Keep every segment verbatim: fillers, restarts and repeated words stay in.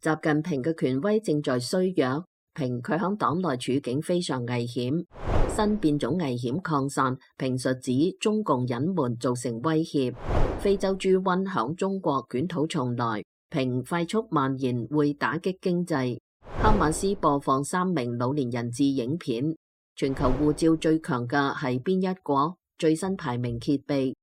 習近平嘅權威正在衰弱，評佢響黨內處境非常危險，新變種危險擴散，評述指中共隱瞞造成威脅，非洲豬瘟響中國捲土重來，評快速蔓延會打擊經濟。哈馬斯播放三名老年人質影片，全球護照最強嘅係邊一國？最新排名揭秘。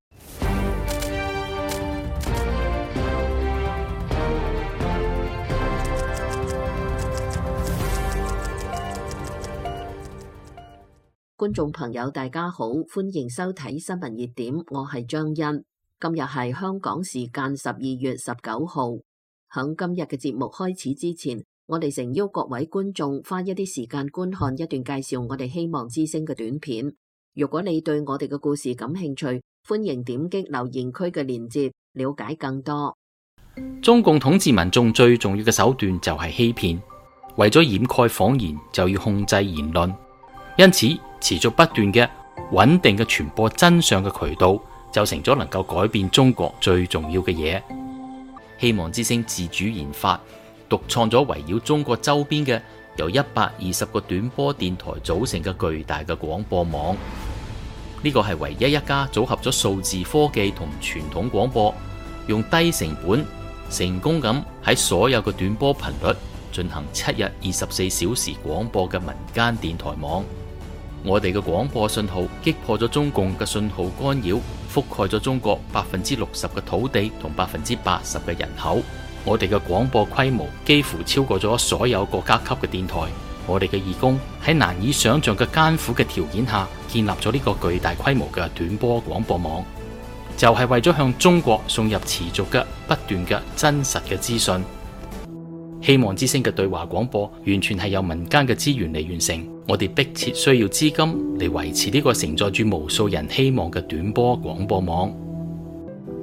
觀眾朋友大家好，歡迎收睇新聞熱點，我係張欣。今日係香港時間十二月十九號。響今日嘅節目開始之前，我哋誠邀各位觀眾花一啲時間觀看一段介紹我哋希望之聲嘅短片。如果你對我哋嘅故事感興趣，歡迎點擊留言區嘅鏈接，了解更多。中共統治民眾最重要嘅手段就係欺騙，為咗掩蓋謊言，就要控制言論，因此持續不斷嘅穩定嘅傳播真相嘅渠道，就成咗能夠改變中國最重要嘅嘢。希望之聲自主研發、獨創咗圍繞中國周邊嘅由一百二十個短波電台組成嘅巨大嘅廣播網。呢個係唯一一家組合咗數字科技同傳統廣播，用低成本成功咁喺所有嘅短波頻率進行七日二十四小時廣播嘅民間電台網。我哋嘅廣播信號擊破咗中共嘅信號干擾，覆蓋咗中國百分之六十嘅土地同百分之八十嘅人口。我哋嘅廣播規模幾乎超過咗所有國家級嘅電台。我哋嘅義工喺難以想象嘅艱苦嘅條件下，建立咗呢個巨大規模嘅短波廣播網，就係為咗向中國送入持續嘅不斷嘅真實嘅資訊。希望之聲嘅對話廣播完全係由民間嘅資源嚟完成，我哋迫切需要資金嚟維持呢個承載住無數人希望嘅短波廣播網。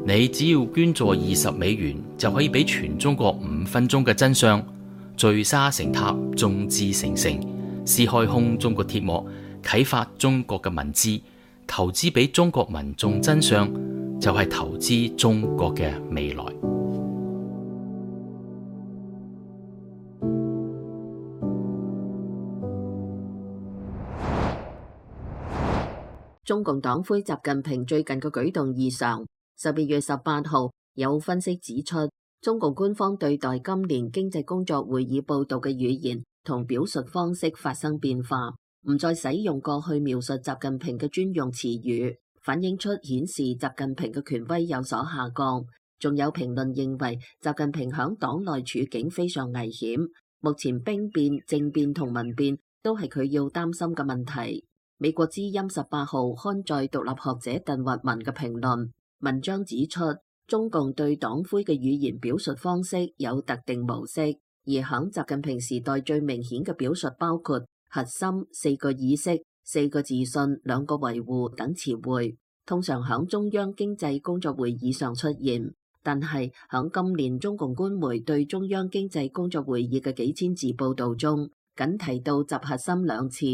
你只要捐助二十美元，就可以俾全中國五分鐘嘅真相，聚沙成塔，眾志成城，撕開空中國鐵幕，啟發中國嘅文字，投資俾中國民眾真相，就係投資中國嘅未來。中共黨魁習近平最近嘅舉動異常。十二月十八號，有分析指出，中共官方對待今年經濟工作會議報道嘅語言同表述方式發生變化，唔再使用過去描述習近平嘅專用詞語，反映出顯示習近平嘅權威有所下降。仲有評論認為，習近平響黨內處境非常危險，目前兵變、政變同民變都係佢要擔心嘅問題。美國之音十八號刊載獨立學者鄧聿文嘅評論，文章指出，中共對黨魁嘅語言表述方式有特定模式，而響習近平時代最明顯嘅表述包括核心、四個意識、四個自信、兩個維護等詞彙，通常響中央經濟工作會議上出現。但係響今年中共官媒對中央經濟工作會議嘅幾千字報道中，僅提到習核心兩次，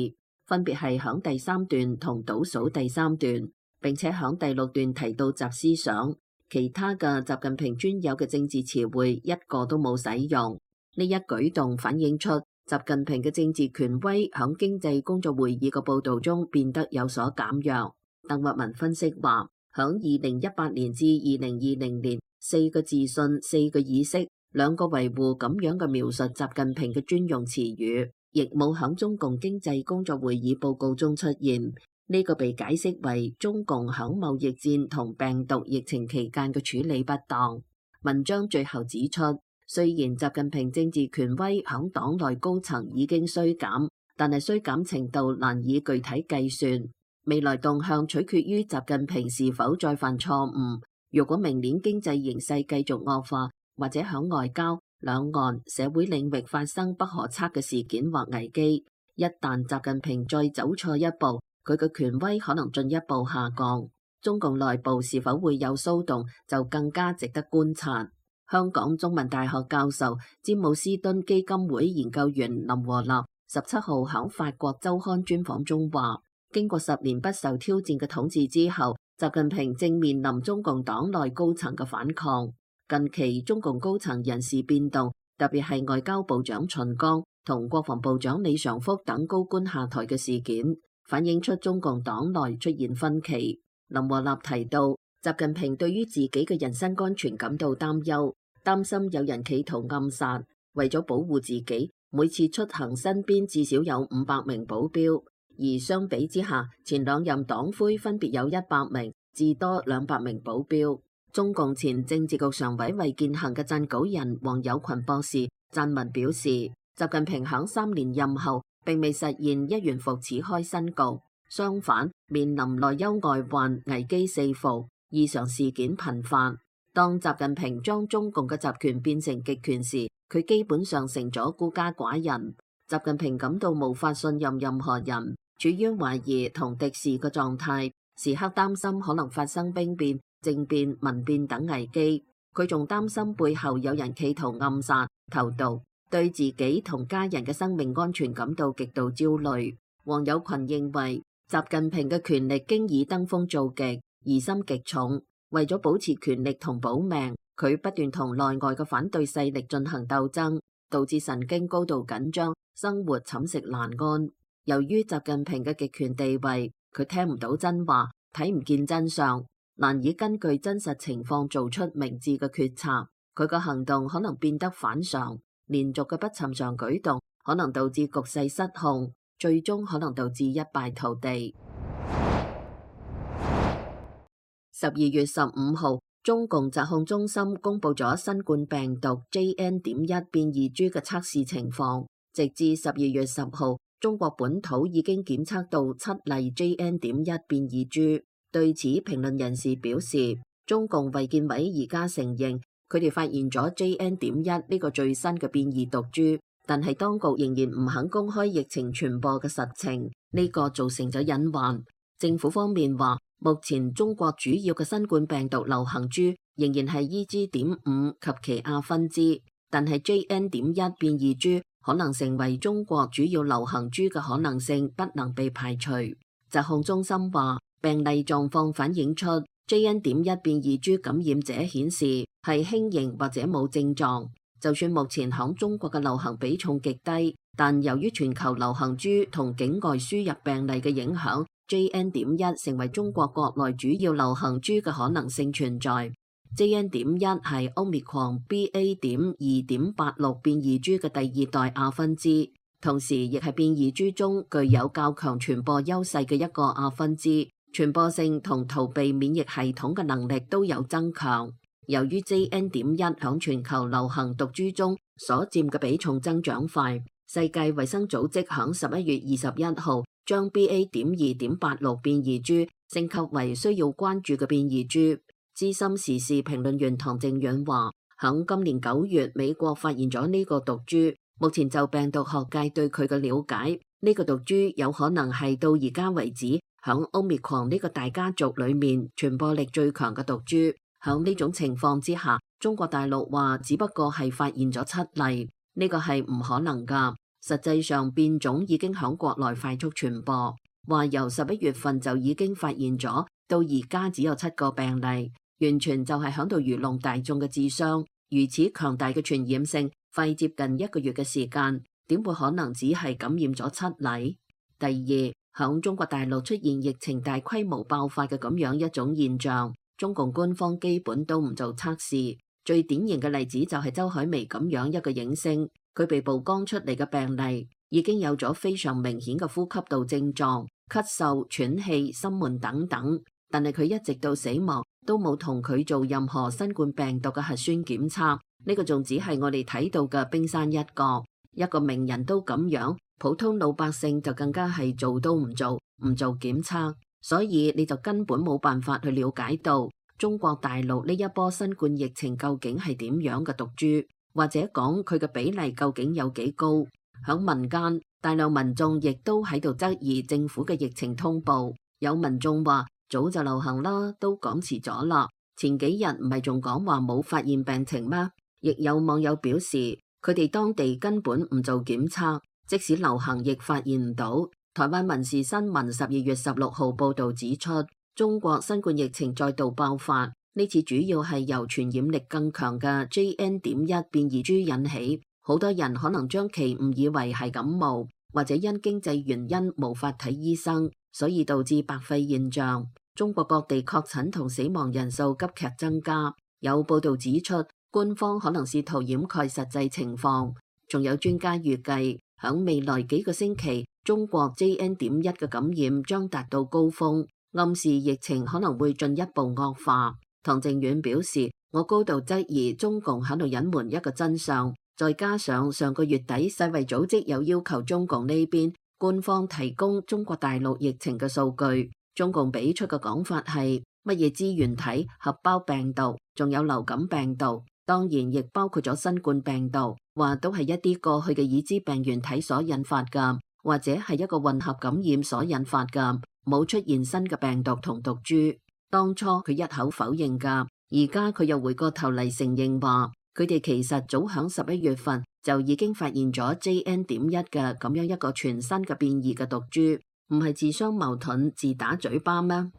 分別係響第三段同倒數第三段，並且響第六段提到習思想，其他嘅習近平專有嘅政治詞彙一個都冇使用。呢一舉動反映出習近平嘅政治權威響經濟工作會議嘅報道中變得有所減弱。鄧聿文分析話，響二零一八年至二零二零年，四個自信、四個意識、兩個維護咁樣嘅描述習近平嘅專用詞語，亦冇響中共經濟工作會議報告中出現。呢個被解釋為中共響貿易戰同病毒疫情期間嘅處理不當。文章最後指出，雖然習近平政治權威響黨內高層已經衰減，但係衰減程度難以具體計算。未來動向取決於習近平是否再犯錯誤。如果明年經濟形勢繼續惡化，或者響外交、兩岸、社會領域發生不可測嘅事件或危機，一旦習近平再走錯一步，佢嘅權威可能進一步下降。中共內部是否會有騷動，就更加值得觀察。香港中文大學教授、詹姆斯敦基金會研究員林和立十七號喺法國週刊專訪中話，經過十年不受挑戰嘅統治之後，習近平正面臨中共黨內高層嘅反抗。近期中共高層人事變動特別係外交部長秦剛同國防部長李尚福等高官下台嘅事件，反映出中共黨內出現分歧。林和立提到，習近平對於自己嘅人身安全感到擔憂，擔心有人企圖暗殺，為咗保護自己，每次出行身邊至少有五百名保鏢。而相比之下，前兩任黨魁分別有一百名至多兩百名保鏢。中共前政治局常委魏建行嘅撰稿人王友群博士撰文表示，習近平響三年任後並未實現一元復始開新局，相反面臨內憂外患，危機四伏，異常事件頻發。當習近平將中共嘅集權變成極權時，佢基本上成咗孤家寡人。習近平感到無法信任任何人，處於懷疑同敵視嘅狀態，時刻擔心可能發生兵變、政變、民變等危機。佢仲擔心背後有人企圖暗殺、投毒，對自己同家人嘅生命安全感到極度焦慮。王友群認為，習近平嘅權力經已登峰造極，疑心極重。為咗保持權力同保命，佢不斷同內外嘅反對勢力進行鬥爭，導致神經高度緊張，生活寢食難安。由於習近平嘅極權地位，佢聽唔到真話，睇唔見真相，難以根據真實情況做出明智嘅決策。佢嘅行動可能變得反常，連續嘅不尋常舉動可能導致局勢失控，最終可能導致一敗塗地。十二月十五號，中共疾控中心公布咗新冠病毒 J N 點一變異株嘅測試情況。直至十二月十號，中國本土已經檢測到七例 J N 點一變異株。對此，評論人士表示，中共衛健委而家承認佢哋發現咗 J N 點一呢個最新嘅變異毒株，但係當局仍然唔肯公開疫情傳播嘅實情，呢個造成咗隱患。政府方面話，目前中國主要嘅新冠病毒流行株仍然係 E G 點五及其亞分支，但係 J N 點一變異株可能成為中國主要流行株嘅可能性不能被排除。疾控中心話，病例狀況反映出 J N 點一變異株感染者顯示係輕型或者冇症狀。就算目前響中國嘅流行比重極低，但由於全球流行株同境外輸入病例嘅影響，J N 點一成為中國國內主要流行株嘅可能性存在。J N 點一係 Omicron B A 點二點八六變異株嘅第二代亞分支，同時亦係變異株中具有較強傳播優勢嘅一個亞分支，傳播性同逃避免疫系統嘅能力都有增強。由於 J N 點一響全球流行毒株中所佔嘅比重增長快，世界衛生組織響十一月二十一號將 B A 點二點八六變異株升級為需要關注嘅變異株。資深時事評論員唐正遠話，響今年九月美國發現咗呢個毒株，目前就病毒學界對佢嘅了解，呢個毒株有可能係到而家為止響 Omicron 呢個大家族裏面傳播力最強嘅毒株。響呢種情況之下，中國大陸話只不過係發現咗七例，呢個係唔可能噶。實際上變種已經響國內快速傳播，話由十一月份就已經發現咗，到而家只有七個病例，完全就係響度愚弄大眾嘅智商。如此強大嘅傳染性，費接近一個月嘅時間，點會可能只係感染咗七例？第二，響中國大陸出現疫情大規模爆發嘅咁樣一種現象，中共官方基本都唔做測試。最典型嘅例子就係周海媚咁樣一個影星，佢被曝光出嚟嘅病例已經有咗非常明顯嘅呼吸道症狀，咳嗽、喘氣、心悶等等，但係佢一直到死亡都冇同佢做任何新冠病毒嘅核酸檢測，呢個仲只係我哋睇到嘅冰山一角。一個名人都咁樣，普通老百姓就更加係做都唔做，唔做檢測，所以你就根本冇辦法去了解到中國大陸呢一波新冠疫情究竟係點樣嘅毒株，或者講佢嘅比例究竟有幾高。響民間，大量民眾亦都喺度質疑政府嘅疫情通報，有民眾話早就流行啦，都講遲咗啦，前幾日唔係仲講話冇發現病情咩？亦有網友表示，佢哋當地根本唔做檢測，即使流行亦發現唔到。台灣民視新聞十二月十六號報道指出，中國新冠疫情再度爆發，呢次主要係由傳染力更強嘅 J N 點一變異株引起，好多人可能將其誤以為係感冒，或者因經濟原因無法睇醫生，所以導致白肺現象。中國各地確診同死亡人數急劇增加，有報道指出，官方可能試圖掩蓋實際情況。仲有專家預計，響未來幾個星期，中國 J N 點一嘅感染將達到高峰，暗示疫情可能會進一步惡化。唐靖遠表示，我高度質疑中共喺度隱瞞一個真相，再加上上個月底世衛組織有要求中共呢邊官方提供中國大陸疫情嘅數據，中共俾出嘅講法係乜嘢支原體、合胞病毒，仲有流感病毒，當然亦包括咗新冠病毒，話都係一啲過去嘅已知病原體所引發㗎，或者係一個混合感染所引發㗎，冇出現新嘅病毒同毒株。當初佢一口否認㗎，而家佢又回過頭嚟承認話，佢哋其實早響十一月份就已經發現咗 J N 點一嘅咁樣一個全新嘅變異嘅毒株，唔係自相矛盾、自打嘴巴咩？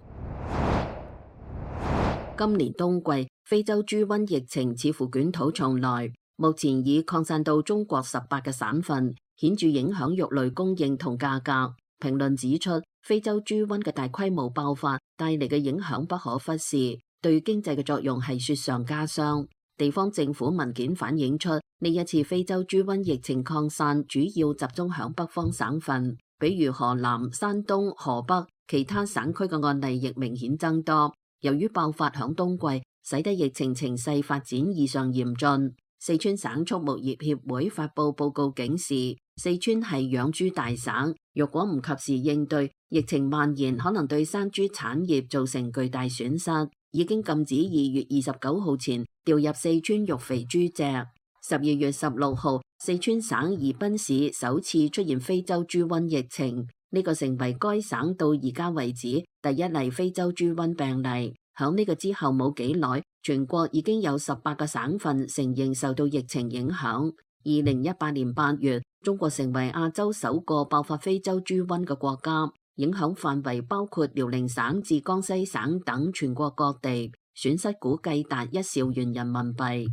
今年冬季非洲豬瘟疫情似乎捲土重來，目前已擴散到中國十八個省份，顯著影響肉類供應同價格。評論指出，非洲豬瘟嘅大規模爆發帶嚟嘅影響不可忽視，對經濟嘅作用係雪上加霜。地方政府文件反映出，呢一次非洲豬瘟疫情擴散主要集中響北方省份，比如河南、山東、河北，其他省區嘅案例亦明顯增多。由於爆發響冬季，使得疫情情勢發展異常嚴峻。四川省畜牧業協會發布報告警示，四川係養豬大省，若果唔及時應對，疫情蔓延可能對生豬產業造成巨大損失。已經禁止二月二十九號前調入四川育肥豬隻。十二月十六號，四川省宜賓市首次出現非洲豬瘟疫情，呢個成為該省到而家為止第一例非洲豬瘟病例。響呢個之後冇幾耐，全國已經有十八個省份承認受到疫情影響。二零一八年八月，中國成為亞洲首個爆發非洲豬瘟嘅國家，影響範圍包括遼寧省至江西省等全國各地，損失估計達一兆元人民幣。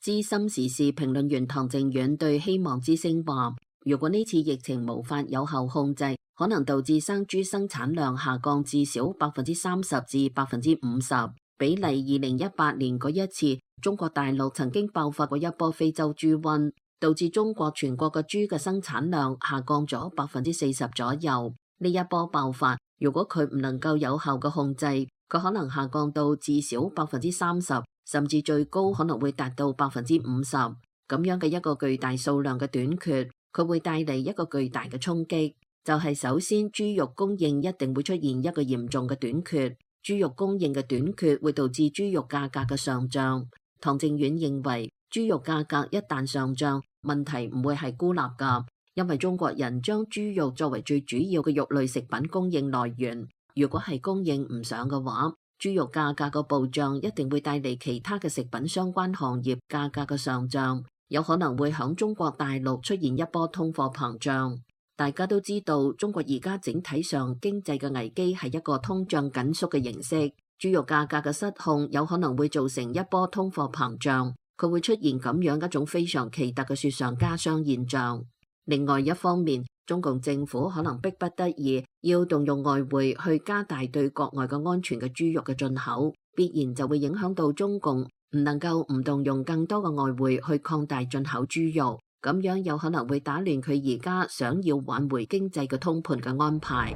資深時事評論員唐靖遠對希望之聲話，如果呢次疫情無法有效控制，可能導致生豬生產量下降至少百分之三十至百分之五十，比例二零一八年嗰一次中國大陸曾經爆發過一波非洲豬瘟，導致中國全國嘅豬嘅生產量下降咗百分之四十左右。呢一波爆發，如果佢唔能夠有效嘅控制，佢可能下降到至少百分之三十，甚至最高可能會達到百分之五十。咁樣嘅一個巨大數量嘅短缺，佢會帶嚟一個巨大嘅衝擊。就係首先，豬肉供應一定會出現一個嚴重嘅短缺，豬肉供應嘅短缺會導致豬肉價格嘅上漲。唐靖遠認為，豬肉價格一旦上漲，問題唔會係孤立㗎，因為中國人將豬肉作為最主要嘅肉類食品供應來源。如果係供應唔上嘅話，豬肉價格嘅暴漲一定會帶嚟其他嘅食品相關行業價格嘅上漲，有可能會響中國大陸出現一波通貨膨脹。大家都知道，中國而家整體上經濟嘅危機係一個通脹緊縮嘅形式，豬肉價格嘅失控有可能會造成一波通貨膨脹，佢會出現咁樣一種非常奇特嘅雪上加霜現象。另外一方面，中共政府可能迫不得已要動用外匯去加大對國外嘅安全嘅豬肉嘅進口，必然就會影響到中共唔能夠唔動用更多嘅外匯去擴大進口豬肉。咁樣有可能會打亂佢而家想要挽回經濟嘅通盤嘅安排。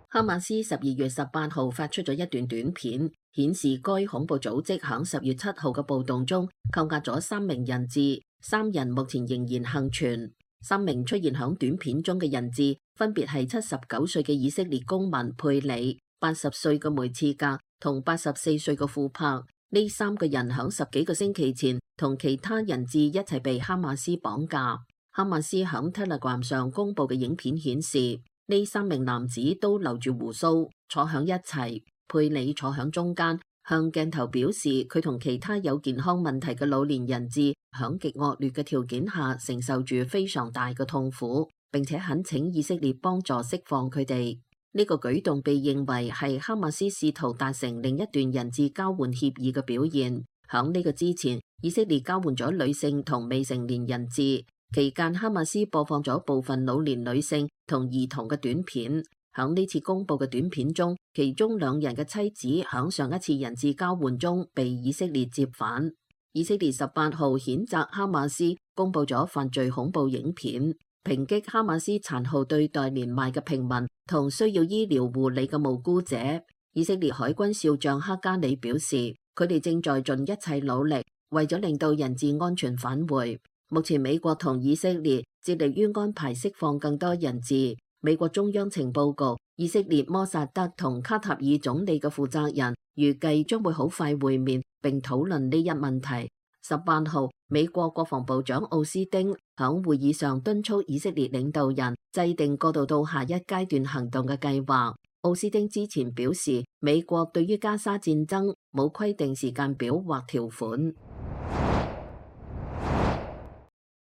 哈馬斯十二月十八號發出咗一段短片，顯示該恐怖組織響十月七號嘅暴動中扣押咗三名人質，三人目前仍然幸存。三名出現響短片中嘅人質分別係七十九歲嘅以色列公民佩里、八十歲嘅梅茨格同八十四歲嘅庫柏。呢三個人響十幾個星期前同其他人質一齊被哈馬斯綁架。哈馬斯響 Telegram 上公布嘅影片顯示，呢三名男子都留住鬍鬚，坐響一齊。佩里坐響中間，向鏡頭表示佢同其他有健康問題嘅老年人質響極惡劣嘅條件下承受住非常大嘅痛苦，並且懇請以色列幫助釋放佢哋。呢個舉動被認為係哈馬斯試圖達成另一段人質交換協議嘅表現。響呢個之前，以色列交換咗女性同未成年人質，期間哈馬斯播放咗部分老年女性同兒童嘅短片。響呢次公佈嘅短片中，其中兩人嘅妻子響上一次人質交換中被以色列接返。以色列十八號譴責哈馬斯公佈咗犯罪恐怖影片，抨擊哈馬斯殘酷對待年邁嘅平民同需要醫療護理嘅無辜者。以色列海軍少將克加里表示，佢哋正在盡一切努力，為咗令到人質安全返回。目前美國同以色列致力於安排釋放更多人質。美國中央情報局、以色列摩薩德同卡塔爾總理嘅負責人預計將會好快會面並討論呢一問題。十八號，美國國防部長奧斯丁響會議上敦促以色列領導人制定過渡到下一階段行動嘅計劃。奧斯丁之前表示，美國對於加沙戰爭冇規定時間表或條款。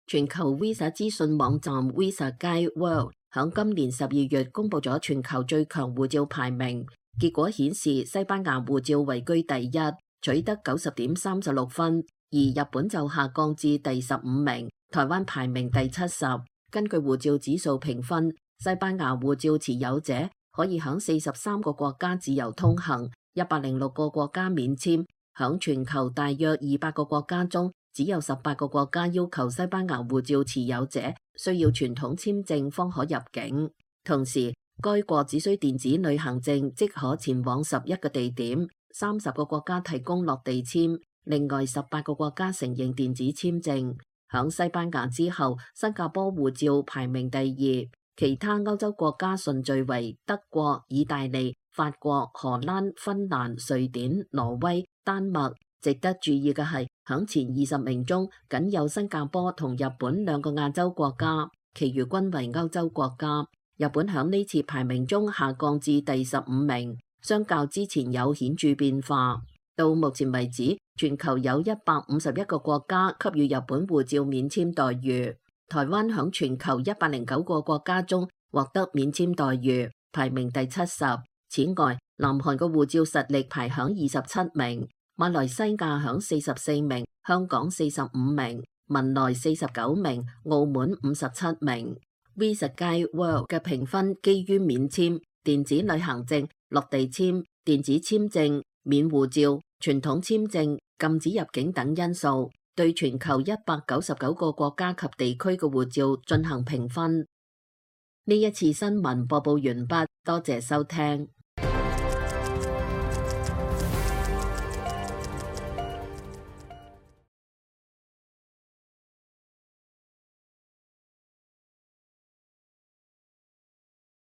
全球 Visa 資訊網站 Visa Guide World 響今年十二月公布咗全球最強護照排名，結果顯示西班牙護照位居第一，取得九十點三十六分，而日本就下降至第十五名，台灣排名第七十。根據護照指數評分，西班牙護照持有者可以響四十三個國家自由通行，一百零六個國家免簽。響全球大約二百個國家中，只有十八個國家要求西班牙護照持有者需要傳統簽證方可入境。同時，該國只需電子旅行證即可前往十一個地點，三十個國家提供落地簽，另外十八個國家承認電子簽證。響西班牙之後，新加坡護照排名第二，其他歐洲國家順序為德國、意大利、法國、荷蘭、芬蘭、瑞典、挪威、丹麥。值得注意嘅係，響前二十名中，僅有新加坡同日本兩個亞洲國家，其餘均為歐洲國家。日本響呢次排名中下降至第十五名，相較之前有顯著變化。到目前為止，全球有一百五十一個國家給予日本護照免簽待遇。台灣響全球一百零九個國家中獲得免簽待遇，排名第七十。此外，南韓嘅護照實力排響二十七名。馬來西亞響四十四名，香港四十五名，文萊四十九名，澳門五十七名。Visa Guide World 嘅評分基於免簽、電子旅行證、落地簽、電子簽證、免護照、傳統簽證、禁止入境等因素，對全球一百九十九個國家及地區嘅護照進行評分。呢一次新聞播報完畢，多謝收聽。